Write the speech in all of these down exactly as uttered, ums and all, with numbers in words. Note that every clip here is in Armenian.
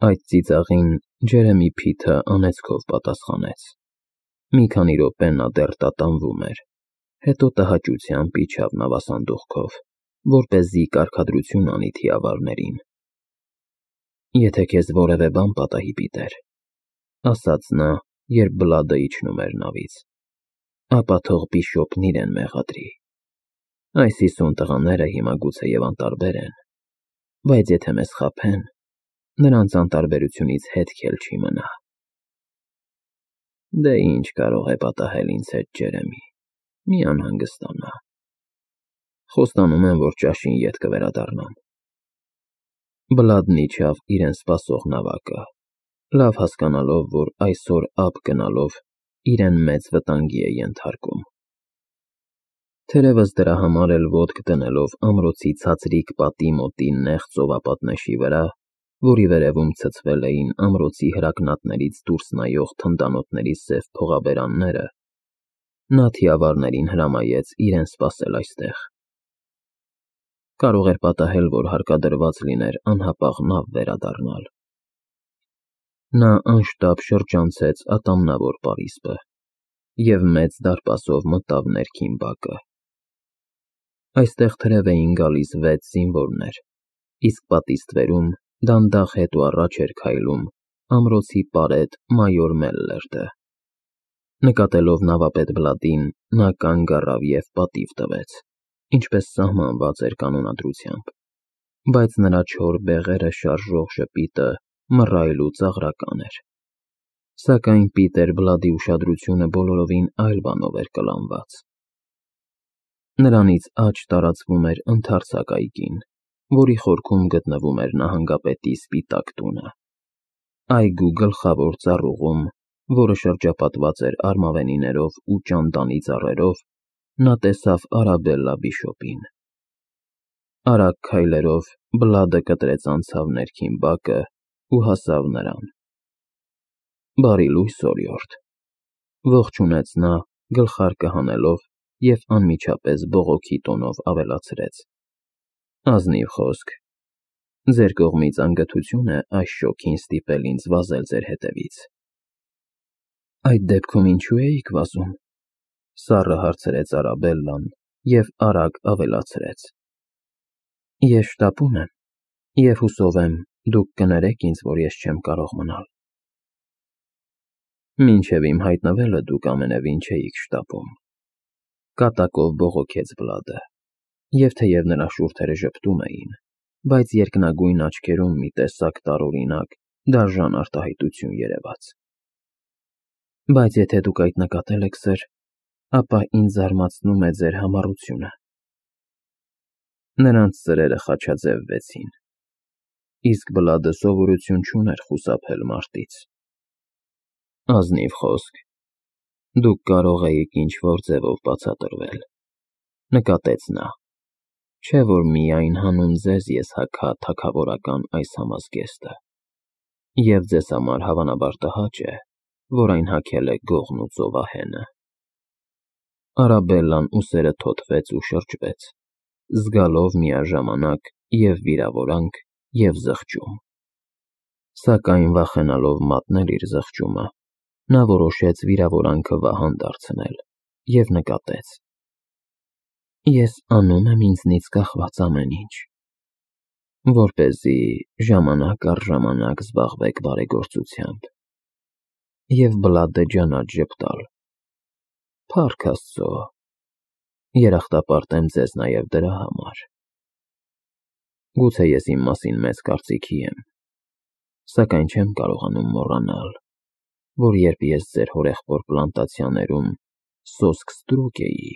Այդ ծիծաղին Ջերեմի Փիթը անեծքով պատասխանեց։ Մի քանի րոպե նա դեռ տատանվում էր, հետո տհաճությամբ իջավ նավասանդուղքով, որպեսզի կարգադրություն անի թիավարներին։ Եթե քեզ որևէ բան պատահի, Պիտեր, ասաց նա, երբ Բլադը իջնում էր նավից, ապա թող բիշոպն իրեն մեղադրի։ Այս հիսուն տղաները հիմա գուցեև անտարբեր են, բայց եթե մեզ խաբեն, նրանց անտարբերությունից հետք էլ չի մնա։ Դե ինչ կարող է պատահել ինձ հետ, Ջերեմի, մի անհանգստանա։ Խոստանում եմ, որ ճաշին ետ կվերադառնամ։ Բլադն իջավ իրեն սպասող նավակը, լավ հասկանալով, որ այսօր ափ գնալով իրեն մեծ վտանգի է ենթարկում։ Թերևս դրա համար էլ ոտք դնելով ամրոցի ցածրիկ պատի մոտի նեղ ծովապատնեշի վրա, որի վերևում ցցվել էին ամրոցի հրակնատներից դուրս նայող թնդանոթների սև փողաբերանները, նա թիավարներին հրամայեց իրեն սպասել այստեղ։ Կարող էր պատահել, որ հարկադրված լիներ անհապաղ նավ վերադառնալ։ Նա անշտապ շրջանցեց ատամնավոր պարիսպը և մեծ դարպասով մտավ ներքին բակը։ Այստեղ թրև էին գալիս վեց զինվորներ, իսկ պատի ստվերում դանդաղ հետ ու առաջ էր քայլում ամրոցի պարետ մայոր Մելլերտը։ Նկատելով նավապետ Բլադին, նա կանգ առավ և պատիվ տվեց, ինչպես սահմանված էր կանոնադրությամբ, բայց նրա չոր բեղերը շարժող ժպիտը մռայլ ու ծաղրական էր։ Սակայն Պիտեր Բլադի ուշադրությունը բոլորովին այլ բանով էր կլանված։ Նրանից աջ տարածվում էր ընդարձակ այգին, որի խորքում գտնվում էր նահանգապետի սպիտակ տունը։ Այգու գլխավոր ծառուղում, որը շրջապատված էր արմավենիներով ու ճանդանի ծառերով, նա տեսավ Արաբելլա բիշոպին։ Արագ քայլերով Բլադը կտրեց անցավ ներքին բակը ու հասավ նրան։ Բարի լույս, օրիորդ, ողջունեց նա, գլխարկը հանելով և անմիջապես բողոքի տոնով ավելացրեց. Ազնիվ խոսք, ձեր կողմից անգթություն է այս շոգին ստիպել ինձ վազել ձեր հետևից։ Այդ դեպքում ինչու էիք վազում, սառը հարցրեց Արաբելլան և արագ ավելացրեց. Ես շտապում եմ և հուսով եմ դուք կներեք ինձ, որ ես չեմ կարող մնալ։ Մինչև իմ հայտնվելը դուք ամենևին չէիք շտապում, կատակով բողոքեց Բլադը, և թեև նրա շուրթերը ժպտում էին, բայց երկնագույն աչքերում մի տեսակ տարօրինակ, դաժան արտահայտություն երևաց։ Բայց եթե դուք այդ նկատել եք, սըր, ապա ինձ զարմացնում է ձեր համառությունը։ Նրանց ծրերը խաչաձևվեցին, իսկ Բլադը սովորություն չուներ խուսափել մարտից։ Ազնիվ խոսք, դուք կարող էիք ինչ-որ ձևով բացատրվել, նկատեց նա, չէ՞ որ միայն հանուն ձեզ ես հագա թագավորական այս համազգեստը, և ձեզ համար հավանաբար տհաճ է, որ այն հագել է գողն ու ծովահենը։ Արաբելլան ուսերը թոթվեց ու շրջվեց, զգալով միաժամանակ և վիրավորանք, և զղջում։ Սակայն վախենալով մատնել իր զղջումը, նա որոշեց վիրավորանքը վահան դարձնել և նկատեց. Ես անում եմ ինձնից կախված ամեն ինչ, որպեսզի ժամանակ առ ժամանակ զբաղվեք բարեգործությամբ և Բլադը ջանաչ ժպտալ։ Փառք Աստծո, երախտապարտ եմ ձեզ նաև դրա համար։ Գուցե ես իմ մասին մեծ կարծիքի եմ, սակայն չեմ կարողանում մոռանալ, որ երբ ես ձեր հորեղբոր պլանտացիաներում սոսկ ստրուկ էի,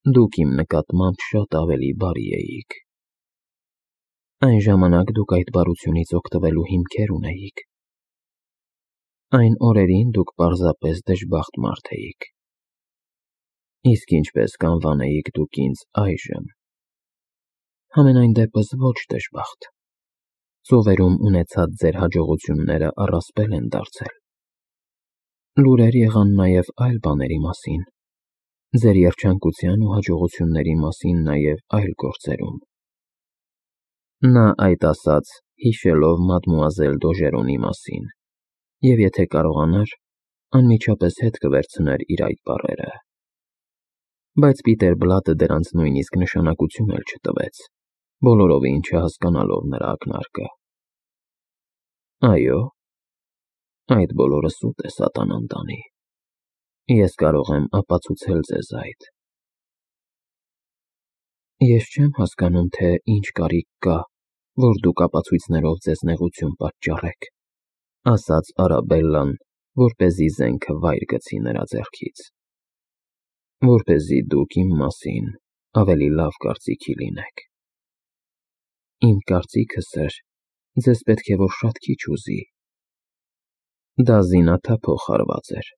դուք իմ նկատմամբ շատ ավելի բարի էիք։ Այն ժամանակ դուք այդ բարությունից օգտվելու հիմքեր ունեիք։ Այն օրերին դուք պարզապես դժբախտ մարդ էիք։ Իսկ ինչպես կանվանեիք դուք ինձ այժմ։ Համենայն դեպս ոչ դժբախտ։ Ծովերում ունեցած ձեր հաջողությունները առասպել են դարձել։ Լուրեր եղան նաև այլ բաների մասին, ձեր երջանկության ու հաջողությունների մասին նաև այլ գործերում։ Նա այդ ասաց հիշելով մադմուազել Դոժերոնի մասին, և եթե կարողանար, անմիջապես հետ կվերցներ իր այդ բառերը։ Բայց Պիտեր Բլատը դրանց նույնիսկ նշանակություն էլ չտվեց, բոլորովին չհասկանալով նրա ակնարկը։ Այո, այդ բոլորը սուտ է սատանան տանի։ Ես կարող եմ ապացուցել ձեզ այդ։ Ես չեմ հասկանում, թե ինչ կարիք կա, որ դուք ապացույցներով ձեզ նեղություն պատճառեք, ասաց Արաբելլան, որպեսզի զենքը վայր գցի նրա ձեռքից, որպեսզի դուք իմ մասին ավելի լավ կարծիքի լինեք։ Իմ կարծիքը, սըր, ձեզ պետք է որ շատ քիչ ուզի։ Դա զինաթափող հարված էր,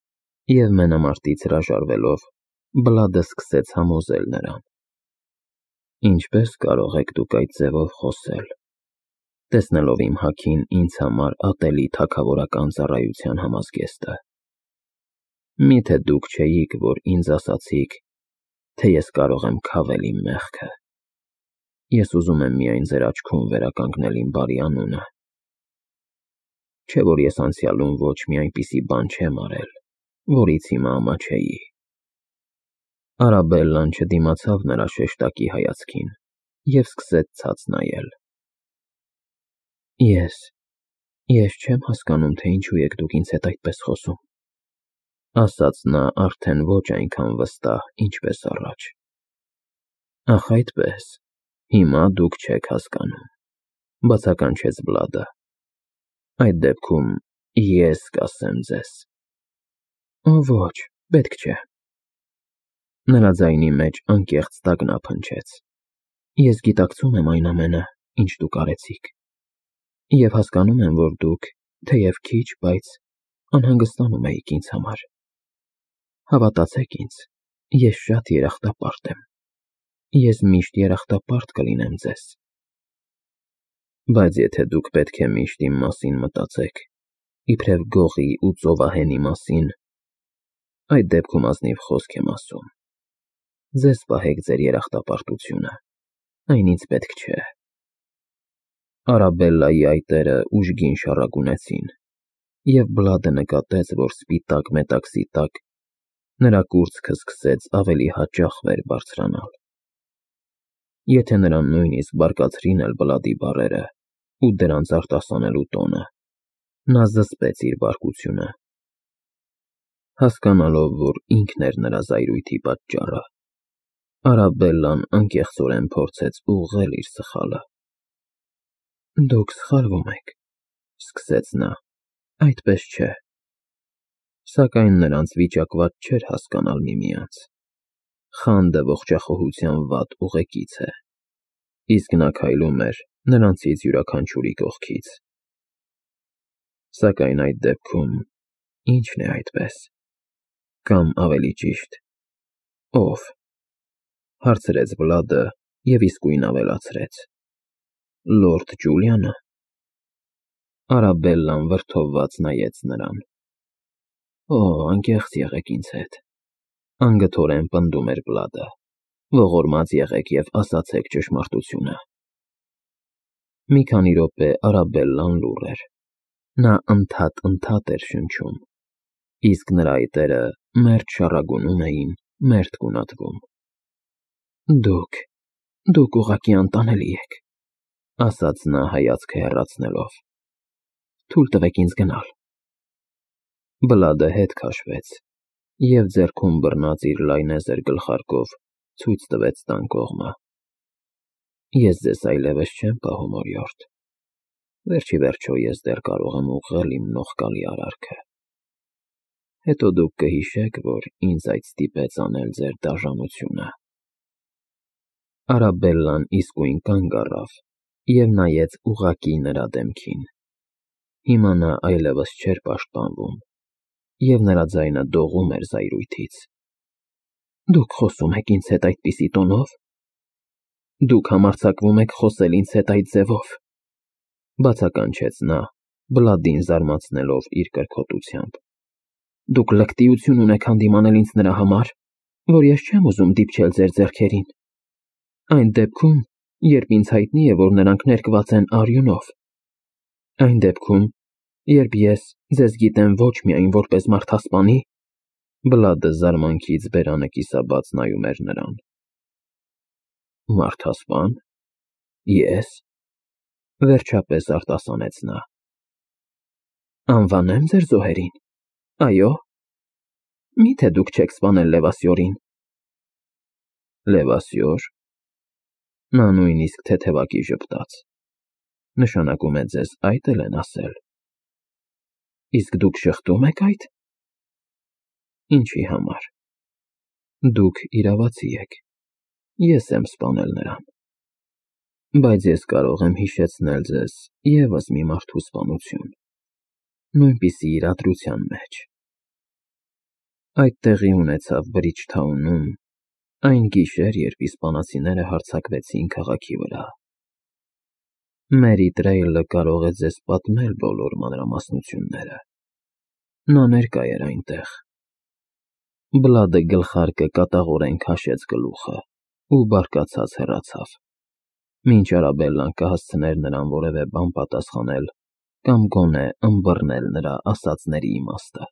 և մենամարտից հրաժարվելով, Բլադը սկսեց համոզել նրան։ Ինչպես կարող եք դուք այդ ձևով խոսել, տեսնելով իմ հագին ինձ համար ատելի թագավորական ծառայության համազգեստը։ Միթե դուք չէիք, որ ինձ ասացիք, թե ես կարող եմ քավել իմ մեղքը։ Ես ուզում եմ միայն ձեր աչքում վերականգնել իմ բարի անունը։ Չէ որ ես անցյալում ոչ մի այնպիսի բան չեմ արել, որից հիմա ամաչեի։ Արաբելլան չդիմացավ նրա շեշտակի հայացքին և սկսեց ցած նայել։ Ես, ես չեմ հասկանում, թե ինչու եք դուք ինձ հետ այդպես խոսում, ասաց նա արդեն ոչ այնքան վստահ, ինչպես առաջ։ Ախ այդպես, հիմա դուք չեք հասկանում, բացականչեց Բլադը։ Այդ դեպքում ես կասեմ ձեզ։ Ոչ, պետք չէ։ Նրա ձայնի մեջ անկեղծ տագնապ հնչեց։ Ես գիտակցում եմ այն ամենը, ինչ դուք արեցիք, և հասկանում եմ, որ դուք, թեև քիչ, բայց անհանգստանում էիք ինձ համար։ Հավատացեք ինձ, ես շատ երախտապարտ եմ։ Ես միշտ երախտապարտ կլինեմ ձեզ։ Բայց եթե դուք պետք է միշտ իմ մասին մտածեք, իբրև գողի ու ծովահենի մասին, այդ դեպքում ազնիվ խոսք եմ ասում։ Ձեզ պահեք ձեր երախտապարտությունը, այն ինձ պետք չէ։ Արաբելլայի այտերը ուժգին շառագունեցին, և Բլադը նկատեց, որ սպիտակ մետաքսի տակ նրա կուրծքը սկսեց ավելի հաճախ վեր բարձրանալ։ Եթե նրան նույնիսկ բարկացրին էլ Բլադի բառերը ու դրանց արտասանելու տոնը, նա զսպեց իր բարկությունը։ Հասկանալով, որ ինքն էր նրա զայրույթի պատճառը, Արաբելլան անկեղծորեն փորձեց ուղղել իր սխալը։ Դուք սխալվում եք, սկսեց նա, այդպես չէ։ Սակայն նրանց վիճակված չէր հասկանալ միմյանց։ Խանդը ողջախոհության վատ ուղեկից է, իսկ նա քայլում էր նրանցից յուրաքանչյուրի կողքից։ Սակայն այդ դեպքում ի՞նչն է այդպես, կամ ավելի ճիշտ, ո՞վ, հարցրեց Բլադը և իսկույն ավելացրեց. Լորդ Ջուլիա՞նը։ Արաբելլան վրդովված նայեց նրան։ Օ, անկեղծ եղեք ինձ հետ, անգթորեն պնդում էր Բլադը, ողորմած եղեք և ասացեք ճշմարտությունը։ Մի քանի րոպե Արաբելլան լուռ էր։ Նա ընդհատ-ընդհատ էր շնչում, իսկ նրա այտերը մերթ շառագունում էին, մերթ գունատվում։ Դուք, դուք ուղղակի անտանելի եք, ասաց նա հայացքը հեռացնելով։ Թույլ տվեք ինձ գնալ։ Բլադը հետ քաշվեց և ձեռքում բռնած իր լայնեզր գլխարկով ցույց տվեց տան կողմը։ Ես ձեզ այլևս չեմ պահում, օրիորդ։ Վերջ ի վերջո ես դեռ կարող եմ ուղղել իմ նողկալի արարքը։ Հետո դուք կհիշեք, որ ինձ այդ ստիպեց անել ձեր դաժանությունը։ Արաբելլան իսկույն կանգ առավ և նայեց ուղղակի նրա դեմքին։ Հիմա նա այլևս չէր պաշտպանվում, և նրա ձայնը դողում էր զայրույթից։ Դուք խոսում եք ինձ հետ այդպիսի տոնով։ Դուք համարձակվում եք խոսել ինձ հետ այդ ձևով, բացականչեց նա, Բլադին զարմացնելով իր կրքոտությամբ։ Դուք լկտիություն ունեք հանդիմանել ինձ նրա համար, որ ես չեմ ուզում դիպչել ձեր ձեռքերին։ Այն դեպքում, երբ ինձ հայտնի է, որ նրանք ներկված են արյունով, Այն դեպքում, երբ ես ձեզ գիտեմ ոչ միայն որպես մարդասպանի, Բլադը զարմանքից բերանը կիսաբաց նայում էր նրան։ Մարդասպան։ Ես։ Վերջապես արտասանեց նա։ Անվանեմ ձեր զոհերին։ Այո։ Միթե դուք չեք սպանել Լևասյորին։ Լևասյոր։ Նա նույնիսկ թեթևակի ժպտաց։ Նշանակում է ձեզ այդ էլ են ասել։ Իսկ դուք շղթում եք այդ։ Ինչի համար։ Դուք իրավացի եք։ Ես եմ սպանել նրան։ Բայց ես կարող եմ հիշեցնել ձեզ ևս մի մարդու սպանություն, նույնպիսի իրադրության մեջ։ Այդ տեղի ունեցավ Բրիջթաունում այն գիշեր, երբ իսպանացիները հարձակվեցին քաղաքի վրա։ Մերի Տրեյլը կարող է ձեզ պատմել բոլոր մանրամասնությունները։ Նա ներկա էր այնտեղ։ Բլադը գլխարկը կատաղորեն քաշեց գլուխը ու բարկացած հեռացավ, մինչ Արաբելլան կհասցներ նրան որևէ բան պատասխանել կամ գոնե ըմբռնել նրա ասածների իմաստը։